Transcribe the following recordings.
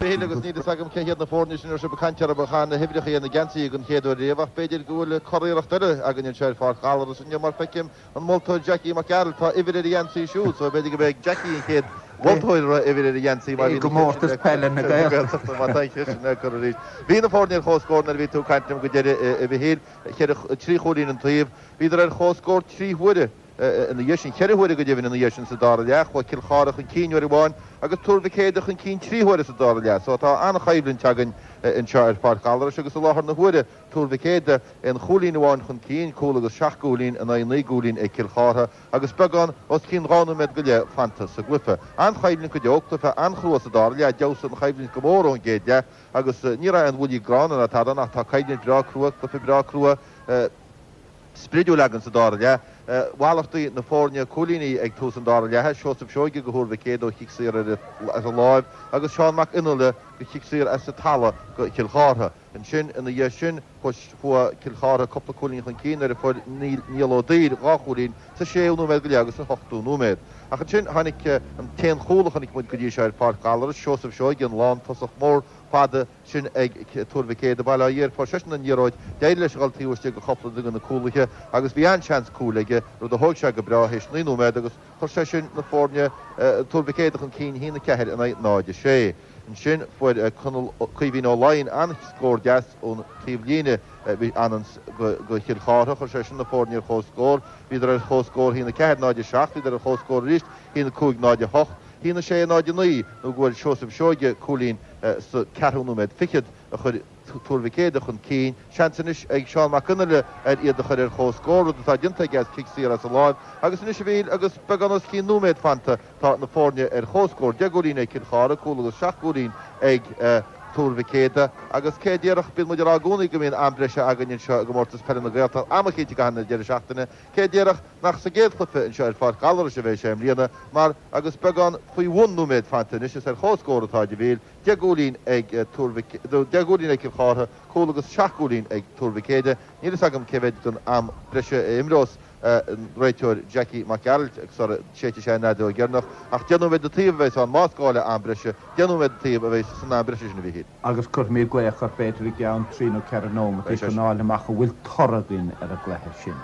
Mhíchíl, agus níl fhios agam cé hiad na foirne sin a raibh sibh ag caint orthu a chaith na huimhreacha ar na geansaithe den chéad uair riamh ach b'fhéidir go bhfuil curiarracht eile againn anseo ar Pháirc Ghallarais inniu mar feicim an moltóir Jackie Mac Gearailt, tá uimhir ar a gheansaí siúd so b'fhéidir go mbeidh Jackie an chéad mholtóir a raibh uimhir ar a gheansaí mar bhí i gcomórtas peile na Gaeltachta má tá an cheist sin á cur arís. Bhí na foirne ar comhscór nuair a bhí tú ag caint liom go deireadh a Mhichíl, 3 chúilín an taobh. Bhíodar ar comhscór 3 huaire. Ina dhiaidh sin, cheithre huaire go deimhin ina dhiaidh sin sa dara leath, chuaigh Cill Chartha chun cinn uair amháin agus Tuar Mhic Éadaigh chun cinn trí huaire sa dara leath. So tá an-choimhlint againn anseo ar Pháirc Ghallarais agus i láthair na huaire Tuar Mhic Éadaigh aon chúilín amháin chun cinn, cúl agus seacht gcúilín in aghaidh naoi gcúilín ag Cill Chartha agus beagán os cionn dhá nóiméad go leith fanta sa gcluiche. An-choimhlint go deo, cluiche an-chrua sa dara leath, d'fheabhsaigh an choimhlint go mór ón gcéad leath agus ní raibh aon bhuillí gránna ná tada ann ach tá coimhlint bhreá crua, cluiche breá crua. spridiúil againn sa dara leath. Mhalartaigh na foirne cúilíní ag tús an dara leatha, Seosamh Seoige go Thuar Mhic Éadaigh ó chic saor as an láimh agus Seán Mac Fhionnghaile go chic saor as an talamh go Chill Chártha. Ansin ina dhiaidh sin chuaigh Cill Chártha cúpla cúilín chun cinn nuair a fuair Niall Ó Duibhir dhá chúilín sa séú nóiméad go leith agus san ochtú nóiméad. Ach ansin tháinig an t-aon chúl a chonaic muid go dtí seo ar Pháirc Ghallarais, Seosamh Seoige, an lántosach mór fada, sin ag Tuar Mhic Éadaigh, bail ó Dhia air, fuair seisean an liathróid, d'éirigh leis a dhul taobh istigh de chúpla de na cúlaithe agus bhí an-seans cúil aige, rud a thóg sé go breá théis 9 nóiméad agus chuir sé sin na foirne Tuar Mhic Éadaigh chun cinn 1-4 in aghaidh 0-6. Ansin fuair Conall Caoimhín Ó Laighin an-scór deas ón taobh líne anonn go Chill Chártha, chuir sé sin na foirne ar chomhscór, bhíodar ar chomhscór 1-4, 0-7, bhíodar ar chomhscór arís 1-5, 0-8, 1-6, 0-9 nó go bhfuair Seosamh Seoige cúilín sa ceathrú nóiméad fichead a chuir Tuar Mhic Éadaigh chun cinn. Seans anois ag Seán Mac Fhionnghaile ar iad a chur ar chomhscór, rud atá déanta aige as cic saor as an láimh. Agus anois a Mhíchíl, agus beagán os cionn nóiméad fanta, tá na foirne ar chomhscór. 10 gcúilín ag Cill Chartha, cúl agus seacht gcúilín ag Tuar Mhic Éadaigh. Agus cé a déarfadh, bíonn muid ag rá i gcónaí go mbíonn am breise againn anseo i gComórtas Peile na Gaeltachta, am eicínt i gcaitheamh na deireadh seachtaine. Cé a déarfadh nach sa gcéad chluiche anseo ar Pháirc Ghallarais a bheidh sé i mbliana, mar agus beagán faoi bhun nóiméad fanta anois, is ar chomhscór atáid a Mhíchíl, 10 gcúilín ag Tuar Mhic, 10 gcúilín ag Cill Chártha, cúl agus seacht gcúilín ag Tuar Mhic Éadaigh. Níl fhios agam cé mhéad den am breise a imreos an réiteoir Jackie Mac Gearailt sara séidfidh sé an fheadóg dheireanach, ach 10 nóiméad an taobh a bheas ann más gá le am breise, 10 nóiméad an taobh a bheas san am breise sin a Mhíchíl. Agus cuirfimid glaoch air b'fhéidir i gceann trí nó ceithre nóimeataí chun fháil amach an bhfuil toradh againn ar an gcluiche sin.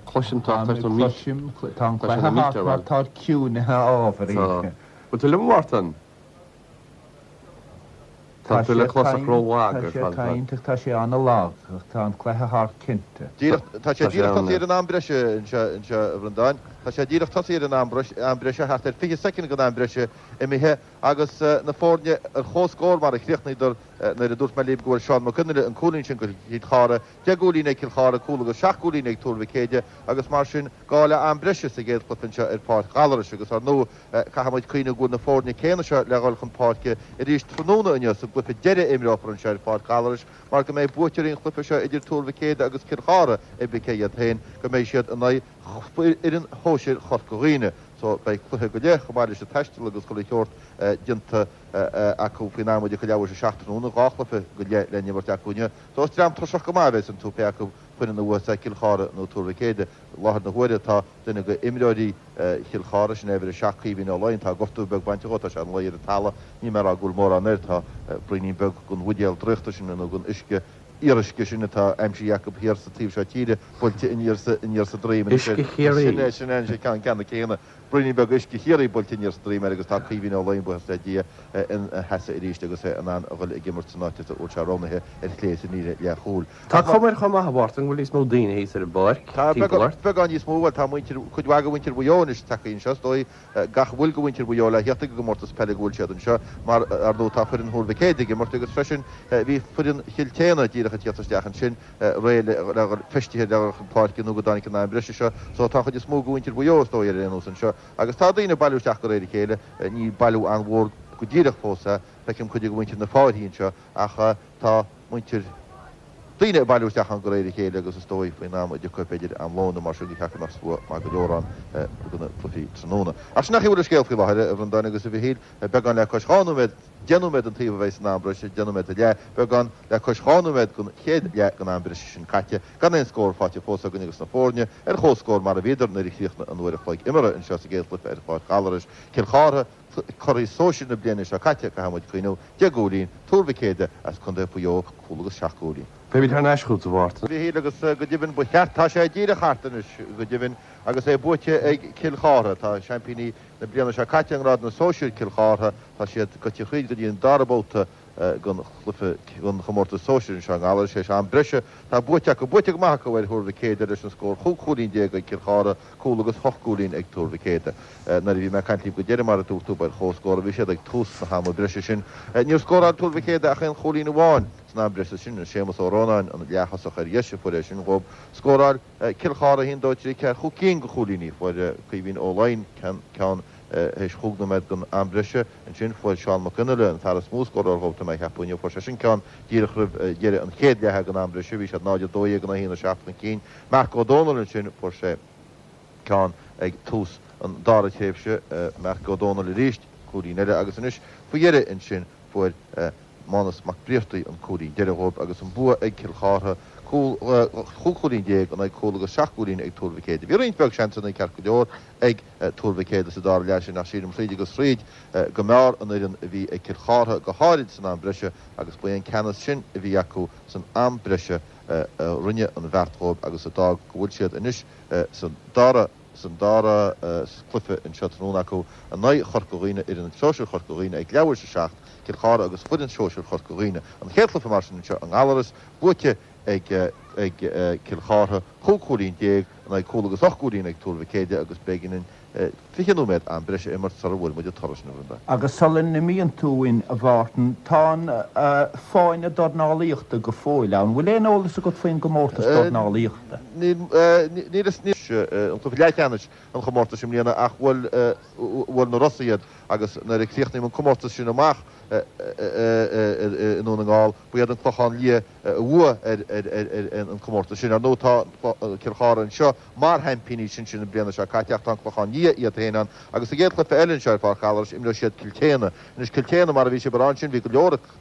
Cloisim tá tá tá Cloisim, tá an cluiche thart mar tá ciúinithe ábhairín. Tá. Bhfuil tú liom a Mhártain? Tá tú le clos ach ró-lag ar fad. Tá sé ag caint ach tá sé an-lag ach tá an cluiche thart cinnte. Díreach, tá sé díreach tosaithe ar an am breise anseo, anseo a Bhreandáin. Tá sé díreach tosaithe ar an am breise, thart ar 20 soicind den am breise imithe agus na foirne ar comhscór mar a chríochnaíodar nuair a dúirt mé libh go bhfuair Seán Mac Fhionnghaile an cúilín sin go Cill Chartha, 10 gcúilín ag Cill Chartha, cúl agus 7 gcúilín ag Tuar Mhic Éadaigh agus mar sin gá le am breise sa gcéad chluiche anseo ar Pháirc Ghallarais agus ar ndóigh caithfidh muid cuimhneamh go bhfuil na foirne céanna seo le dhul chun páirce arís tráthnóna inniu sa gcluiche deiridh a imreofar anseo ar Pháirc Ghallarais mar go mbeidh buaiteoirí an chluiche seo idir Tuar Mhic Éadaigh agus Cill Chartha, pé ar bith cé hiad féin, go mbeidh siad in aghaidh fhoireann shóisir Chorca Dhuibhne. So beidh cluiche go leith, chomh maith leis an taisteal agus chuile sheort déanta acu faoin am a leathuair tar éis a 7 tráthnóna, dhá chluiche go leith le n-imirt acu inniu. So is dream tuirseach go maith a bheas iontu, pé acu foireann a bhuafas é Cill Chartha nó Tuar Mhic Éadaigh. I láthair na huaire tá duine de imreoirí Chill Chartha, sin é uimhir a 7, Caoimhín Ó Laighin, tá gortú beag bainte dhó, tá sé ina luí ar an talamh, níl mé ag rá go bhfuil mórán air, tá braoinín beag den bhuidéal draíochta sin nó den uisce fhíoruisce sin atá aimsithe acu thiar sa taobh seo tíre, buailte aniar sa, aniar sa droim anois air. Uisce Chiarraí. Sin é, sin é an ceann ceanna céanna. Braoinín beag uisce Chiarraí buailte aniar sa droim air agus tá Caoimhín Ó Laighin, buíochas le Dia, ina sheasamh arís agus é in ann a dhul ag imirt san áit a bhfuil sé roghnaithe ar chlé san líne leathchúil. Tá cuma air chomh maith, a Mhártain, go bhfuil níos mó daoine thíos ar an bpáirc Tá timpeall ort. beagán níos mó, bhuel tá muintir, cuid mhaith de mhuintir Mhaigh Eo anois tagtha anseo, is dóigh. gach a bhfuil de mhuintir Mhaigh Eo le theacht ag an gcomórtas peile go bhfuil siad anseo mar, ar ndóigh, tá foireann Thuar Mhic Éadaigh ag imirt agus freisin bhí foireann Chill tSéadhna díreach ag tíocht isteach ansin réidh le dhul feistithe le dhul chun páirce nó go dtáinig an am breise seo so tá an chuid is mó de mhuintir Mhaigh Eo is dóigh ar aon nós anseo agus tá daoine ag bailiú isteach de réir a chéile, ní bailiú an-mhór go díreach fós é, feicim cuid de mhuintir na Fáirthí anseo ach tá muintir. daoine ag bailiú isteach ann de réir a chéile agus is dóigh faoin am a dtiocfaidh b'fhéidir am lóin nó mar sin go ceart go mbeadh slua maith go leor ann do na cluichí tráthnóna. Ach sin an chaoi a bhfuil an scéal faoi láthair, a Bhreandáin agus a Mhichíl, beagán le cois 2 nóiméad, 10 nóiméad an taobh a bheidh san am breise, 10 nóiméad is leath, beagán le cois 2 nóiméad den chéad leath den am breise sin caite, gan aon scór faighte fós againn agus na foirne ar comhscór mar a bhíodar nuair a chríochnaigh an uair a chloig imeartha anseo sa gcéad chluiche ar Pháirc Ghallarais, Cill Chartha. Curaidh sóisir na bliana seo caite, caithfidh muid cuimhniú, 10 gcúilín, Tuar Mhic Éadaigh as Contae Mhaigh Eo, cúl agus 7 gcúilín. Beimid thar n-ais chugat, a Mhártain. Mhichíl agus go deimhin ba cheart, tá sé díreach thart anois go deimhin agus é buaite ag Cill Chartha. Tá seaimpíní na bliana seo caite i ngrád na sóisir, Cill Chartha, tá siad gaibhte thríd go dtí an dara babhta den chluiche den chomórtas sóisir anseo i nGallaras. Théis am breise tá buaite acu, buaite go maith acu ar Thuar Mhic Éadaigh leis an scór 15 cúilín ag Cill Chartha, cúl agus hocht gcúilín ag Tuar Mhic Éadaigh. Nuair a bhí mé ag caint libh go deireadh, mar a dúirt tú, ba ar chomhscór a bhí siad ag tús na hama breise sin. Níor scóráil Tuar Mhic Éadaigh ach aon chúilín amháin san am breise sin, Séamus Ó Rónáin, an leath-thosach ar dheis, a fuair é sin dhóibh. Scóráil Cill Chartha 1, 2, 3, 4, chúig cinn de chúilíní. Fuair Caoimhín Ó Laighin ceann théis chúig nóiméad den am breise. Ansin fuair Seán Mac Fhionnaile, an fear is mó scóráil dhóibh, tá mé a cheapadh inniu, fuair seisean ceann díreach roimh dheireadh an chéad leatha den am breise. Bhí siad 0, 12 in aghaidh 1, 7 chun cinn. Marc Ó Dónaill ansin, fuair sé ceann ag tús an dara tréimhse. Marc Ó Dónaill arís, cúilín eile agus anois faoi dheireadh ansin fuair Mánus Mac Briartaigh an cúilín deiridh dhóibh agus an bua ag Cill Chartha, cúl, chúig chúilín in aghaidh cúl agus seacht gcúilín ag Tuar Mhic Éadaigh. Bhí roinnt bheag seansanna ceart go leor ag Tuar Mhic Éadaigh sa dara leath sin ach sílim thríd agus thríd go mb'fhearr an fhoireann a bhí ag Cill Chartha go háirid san am breise agus ba é an ceannas sin a bhí acu san am breise a rinne an bheart dhóibh agus a d'fhág go bhfuil siad anois sa dara san dara cluiche anseo tráthnóna acu in aghaidh Chorca Dhuibhne, fhoireann sóisir Chorca Dhuibhne ag leathuair tar éis a 7, Cill Chartha agus foireann sóisir Chorca Dhuibhne. An chéad chluiche mar sin anseo i nGallaras, buaite ag ag Cill Chartha, 15 cúilín in aghaidh cúl agus 8 gcúilín ag Tuar Mhic Éadaigh agus beidh orainn 20 nóiméad am breise a imirt sara bhfuair muid an toradh sin, a Bhreandáin. Agus sula n-imíonn tú uainn, a Mhártain, tá an fáinne dornálaíochta go fóill ann. Bhfuil aon eolas agat faoin gcomórtas dornálaíochta? Níl, níl fhios, níl an cluiche leathcheannais an chomórtais i mbliana ach bhuail, bhuail na Rosa iad agus nuair a críochnaíodh an comórtas sin amach i nDún na nGall, ba iad an Clochán Liath a bhuaigh ar an comórtas sin. Ar ndóigh tá Cill Chartha anseo mar sheaimpíní sinsir na bliana seo caite ach tá an Clochán Liath iad féin ann agus sa gcéad chluiche eile anseo ar Pháirc Ghallarais imreoidh siad Cill tSéadhna. Anois Cill tSéadhna mar a bhí sibh ag rá ansin bhí go leor ag.